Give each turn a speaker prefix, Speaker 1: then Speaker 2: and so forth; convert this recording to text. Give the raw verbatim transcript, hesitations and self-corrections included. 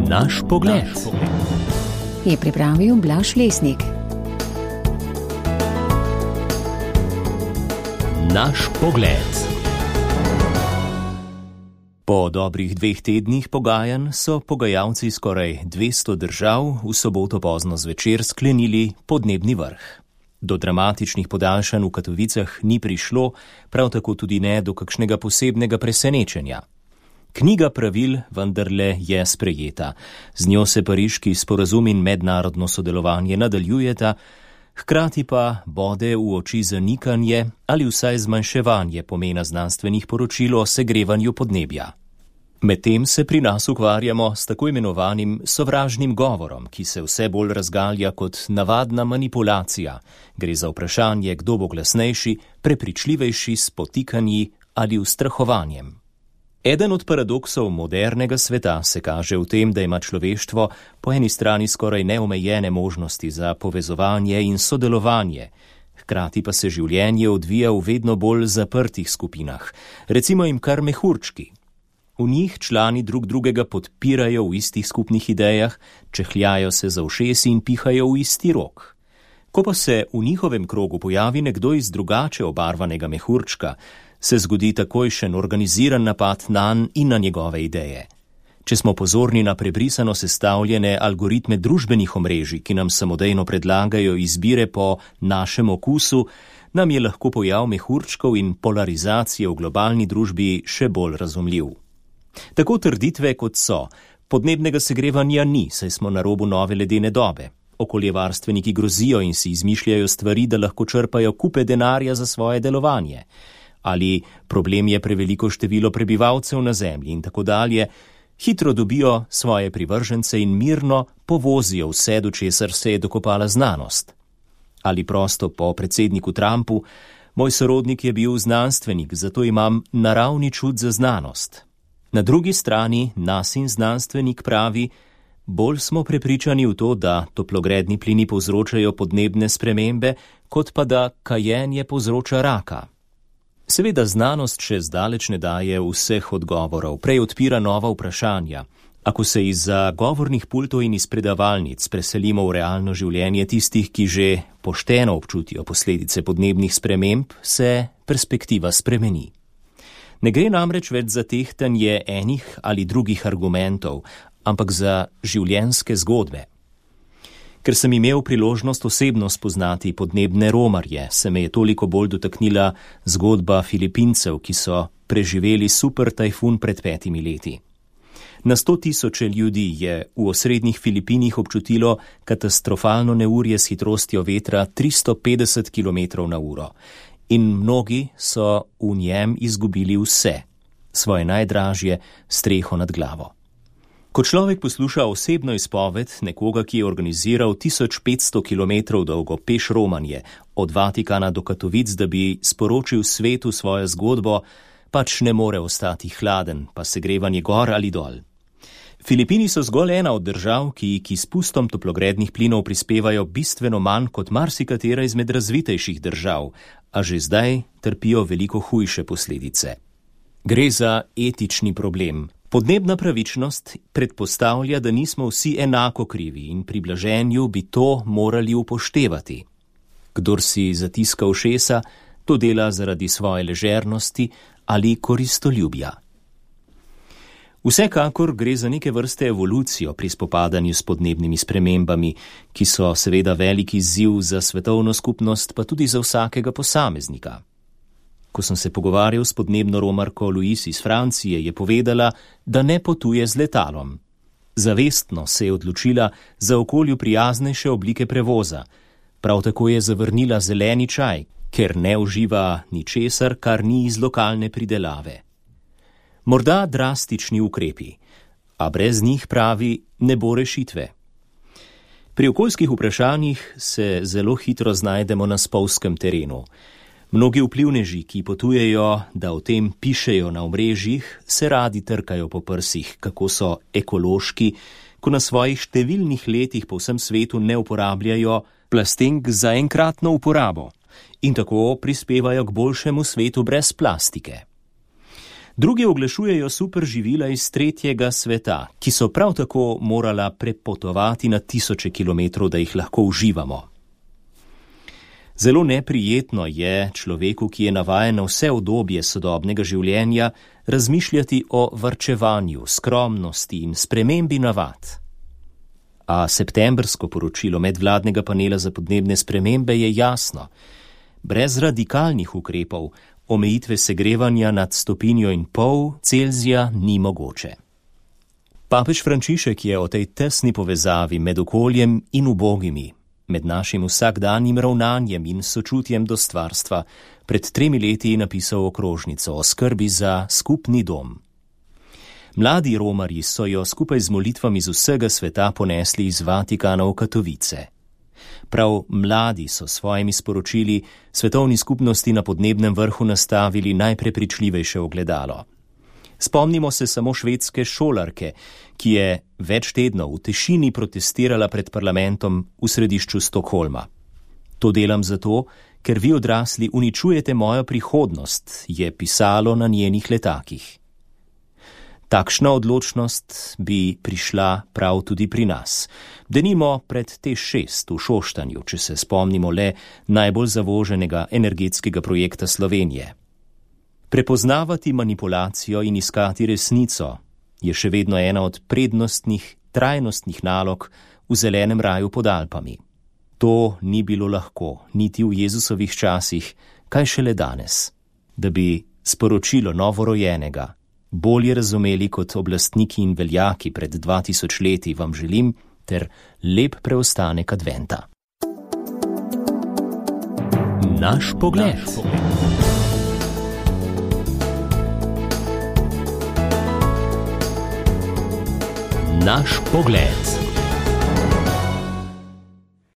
Speaker 1: Naš pogled.
Speaker 2: Je pripravil Blaž Lesnik.
Speaker 1: Naš pogled. Po dobrih dveh tednih pogajanj so pogajalci skoraj dvesto držav v soboto pozno zvečer sklenili podnebni vrh. Do dramatičnih podaljšanj v Katovicah ni prišlo, prav tako tudi ne do kakšnega posebnega presenečenja. Knjiga pravil vendarle je sprejeta. Z njo se pariški sporazum in mednarodno sodelovanje nadaljujeta, hkrati pa bode v oči zanikanje ali vsaj zmanjševanje pomena znanstvenih poročil o segrevanju podnebja. Medtem se pri nas ukvarjamo s tako imenovanim sovražnim govorom, ki se vse bolj razgalja kot navadna manipulacija. Gre za vprašanje, kdo bo glasnejši, prepričljivejši s potikanji ali ustrahovanjem. Eden od paradoksov modernega sveta se kaže v tem, da ima človeštvo po eni strani skoraj neomejene možnosti za povezovanje in sodelovanje, hkrati pa se življenje odvija v vedno bolj zaprtih skupinah, recimo jim kar mehurčki. V njih člani drug drugega podpirajo v istih skupnih idejah, čehljajo se za ušesi in pihajo v isti rok. Ko pa se v njihovem krogu pojavi nekdo iz drugače obarvanega mehurčka, se zgodi takojšen organiziran napad nanj in na njegove ideje. Če smo pozorni na prebrisano sestavljene algoritme družbenih omrežij, ki nam samodejno predlagajo izbire po našem okusu, nam je lahko pojav mehurčkov in polarizacije v globalni družbi še bolj razumljiv. Tako trditve kot so, podnebnega segrevanja ni, saj smo na robu nove ledene dobe. Okoljevarstveniki grozijo in si izmišljajo stvari, da lahko črpajo kupe denarja za svoje delovanje. Ali problem je preveliko število prebivalcev na zemlji in tako dalje, hitro dobijo svoje privržence in mirno povozijo vse, do česar se je dokopala znanost. Ali prosto po predsedniku Trumpu, moj sorodnik je bil znanstvenik, zato imam naravni čut za znanost. Na drugi strani nas in znanstvenik pravi, bolj smo prepričani v to, da toplogredni plini povzročajo podnebne spremembe, kot pa da kajenje povzroča raka. Seveda znanost še zdaleč ne daje vseh odgovorov, prej odpira nova vprašanja. Ako se izza govornih pultov in iz predavalnic preselimo v realno življenje tistih, ki že pošteno občutijo posledice podnebnih sprememb, se perspektiva spremeni. Ne gre namreč več za tehtanje enih ali drugih argumentov, ampak za življenjske zgodbe. Ker sem imel priložnost osebno spoznati podnebne romarje, se me je toliko bolj dotaknila zgodba Filipincev, ki so preživeli super tajfun pred petimi leti. Na sto tisoče ljudi je v osrednjih Filipinih občutilo katastrofalno neurje s hitrostjo vetra tristo petdeset kilometrov na uro in mnogi so v njem izgubili vse, svoje najdražje, streho nad glavo. Ko človek posluša osebno izpoved nekoga, ki je organiziral tisoč petsto kilometrov dolgo peš romanje od Vatikana do Katovic, da bi sporočil svetu svojo zgodbo, pač ne more ostati hladen, pa segrevanje gor ali dol. Filipini so zgolj ena od držav, ki k izpustom toplogrednih plinov prispevajo bistveno manj kot marsikatera izmed razvitejših držav, a že zdaj trpijo veliko hujše posledice. Gre za etični problem. Podnebna pravičnost predpostavlja, da nismo vsi enako krivi in pri blaženju bi to morali upoštevati. Kdor si zatiska ušesa, to dela zaradi svoje ležernosti ali koristoljubja. Vsekakor gre za neke vrste evolucijo pri spopadanju s podnebnimi spremembami, ki so seveda veliki izziv za svetovno skupnost, pa tudi za vsakega posameznika. Ko sem se pogovarjal s podnebno romarko Louise iz Francije, je povedala, da ne potuje z letalom. Zavestno se je odločila za okolju prijaznejše oblike prevoza. Prav tako je zavrnila zeleni čaj, ker ne uživa ničesar, kar ni iz lokalne pridelave. Morda drastični ukrepi, a brez njih, pravi, ne bo rešitve. Pri okoljskih vprašanjih se zelo hitro znajdemo na spolzkem terenu. Mnogi vplivneži, ki potujejo, da o tem pišejo na omrežjih, se radi trkajo po prsih, kako so ekološki, ko na svojih številnih letih po vsem svetu ne uporabljajo plastenk za enkratno uporabo in tako prispevajo k boljšemu svetu brez plastike. Drugi oglašujejo superživila iz tretjega sveta, ki so prav tako morala prepotovati na tisoče kilometrov, da jih lahko uživamo. Zelo neprijetno je človeku, ki je navajen na vse udobje sodobnega življenja, razmišljati o varčevanju, skromnosti in spremembi navad. A septembrsko poročilo medvladnega panela za podnebne spremembe je jasno. Brez radikalnih ukrepov omejitve segrevanja nad stopinjo in pol Celzija ni mogoče. Papež Frančišek je o tej tesni povezavi med okoljem in ubogimi, med našim vsakdanjim ravnanjem in sočutjem do stvarstva, pred tremi leti napisal okrožnico o skrbi za skupni dom. Mladi romarji so jo skupaj z molitvami z vsega sveta ponesli iz Vatikana v Katovice. Prav mladi so svojimi sporočili svetovni skupnosti na podnebnem vrhu nastavili najprepričljivejše ogledalo. Spomnimo se samo švedske šolarke, ki je več tednov v tišini protestirala pred parlamentom v središču Stokholma. To delam zato, ker vi odrasli uničujete mojo prihodnost, je pisalo na njenih letakih. Takšna odločnost bi prišla prav tudi pri nas. Denimo pred T šest v Šoštanju, če se spomnimo le najbolj zavoženega energetskega projekta Slovenije. Prepoznavati manipulacijo in iskati resnico je še vedno ena od prednostnih, trajnostnih nalog v zelenem raju pod Alpami. To ni bilo lahko, niti v Jezusovih časih, kaj šele danes, da bi sporočilo novorojenega bolje razumeli kot oblastniki in veljaki pred dva tisoč leti, vam želim ter lep preostanek adventa. Naš pogled. Naš pogled.